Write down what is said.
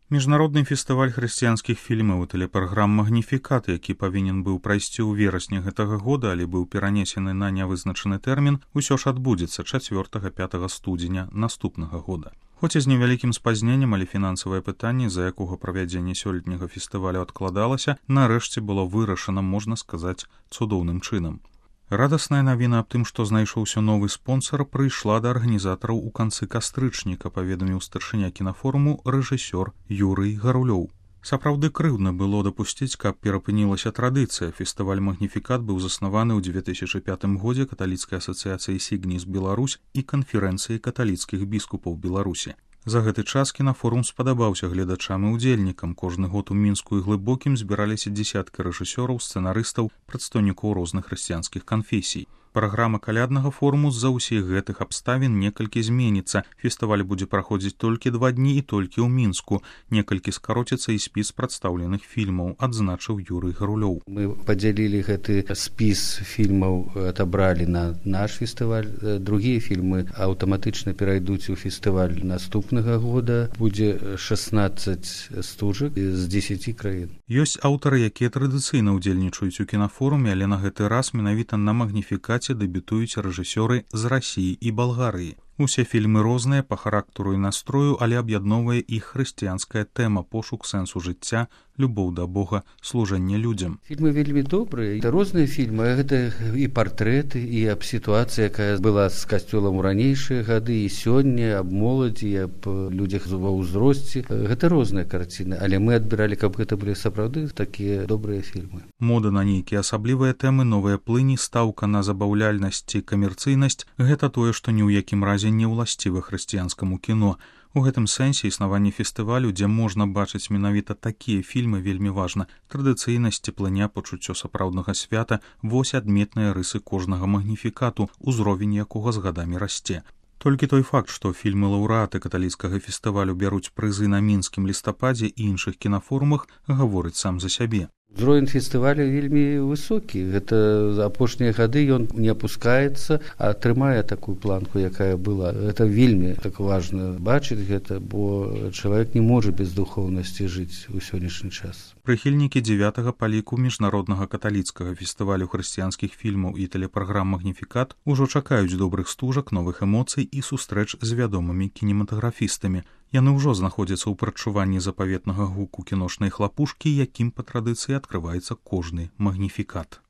Міжнародны фестываль хрысціянскіх фільмаў і тэлепраграм «Магніфікат», які павінен быў прайсці ў верасні гэтага года, але быў перанесены на нявызначаны тэрмін, усё ж адбудзецца 4-5 студзеня наступнага года. Хоць і з невялікім спазненнем, але фінансавае пытанне, з-за якога правядзенне сёлетняга фестывалю адкладалася, нарэшце было вырашана, можна сказаць, цудоўным чынам. Радасная навіна аб тым, што знайшоўся новы спонсар, прыйшла да арганізатараў у канцы кастрычніка, паведаміў старшыня кінафоруму рэжысёр Юрый Гарулёў. Сапраўды крыўдна было дапусціць, каб перапынілася традыцыя. Фестываль «Магніфікат» быў заснаваны ў 2005 годзе каталіцкай асацыяцыяй «Сігніс Беларусь» і канферэнцыяй каталіцкіх біскупаў Беларусі. За гэты час кінафорум спадабаўся гледачам і удзельнікам. Кожны год у Мінску і Глыбокім збіраліся дзесяткі рэжысёраў, сцэнарыстаў, прадстаўнікоў розных хрысціянскіх канфесій. Праграма каляднага форуму з-за ўсіх гэтых абставін некалькі зменіцца. Фестываль будзе праходзіць толькі 2 дні і толькі ў Мінску. Некалькі скароціцца і спіс прадстаўленых фільмаў, адзначыў Юрый Гарулёў. Мы падзялілі гэты спіс фільмаў, адабралі на наш фестываль. Другія фільмы аўтаматычна перайдуць у фестываль наступнага года. Будзе 16 стужак з 10 краін. Ёсць аўтары, якія традыцыйна ўдзельнічаюць у кінафоруме, але на гэты раз менавіта на «Магніфікаце» дэбютуюць рэжысёры з Расіі і Балгарыі. Усе фільмы розныя па характару і настрою, але аб'ядноўвае іх хрысціянская тэма, пошук сэнсу жыцця, любоў да Бога, служэнне людзям. Фільмы вельмі добрыя. Это розныя фільмы. Гэта і партрэты, і аб сітуацыі, якая была з касцёлам у ранейшыя гады, і сёння, аб моладзі, аб людзях ва ўзросце. Гэта розныя карціны, але мы адбіралі, каб гэта былі сапраўды такія добрыя фільмы. Мода на нейкія асаблівыя тэмы, новыя плыні, стаўка на забаўляльнасць ці камерцыйнасць – гэта тое, што ні ў якім разе не ўласціва хрысціянскаму кіно. У гэтым сэнсе існаванне фестывалю, дзе можна бачыць менавіта такія фільмы, вельмі важна. Традыцыйнасць, цеплыня, пачуццё сапраўднага свята – вось адметныя рысы кожнага магніфікату, узровень якога з гадамі расце. Толькі той факт, што фільмы-лаўрэаты каталіцкага фестывалю бяруць прызы на мінскім лістападзе і іншых кінафорумах, гаворыць сам за сябе. Узровень фестываля вельмі высокі. Гэта за апошнія гады ён не апускаецца, а трымае такую планку, якая была. Гэта вельмі так важна бачыць гэта, бо чалавек не можа без духоўнасці жыць у сённяшні час. Прыхільнікі 9-га па ліку міжнароднага каталіцкага фестывалю хрысціянскіх фільмаў і тэлепраграм «Магніфікат» ужо чакаюць добрых стужак, новых эмоцый і сустрэч з вядомымі кінематаграфістамі. Яны ўжо знаходзяцца ў прадчуванні запаветнага гуку кіношнай хлапушкі, якім па традыцыі адкрываецца кожны магніфікат.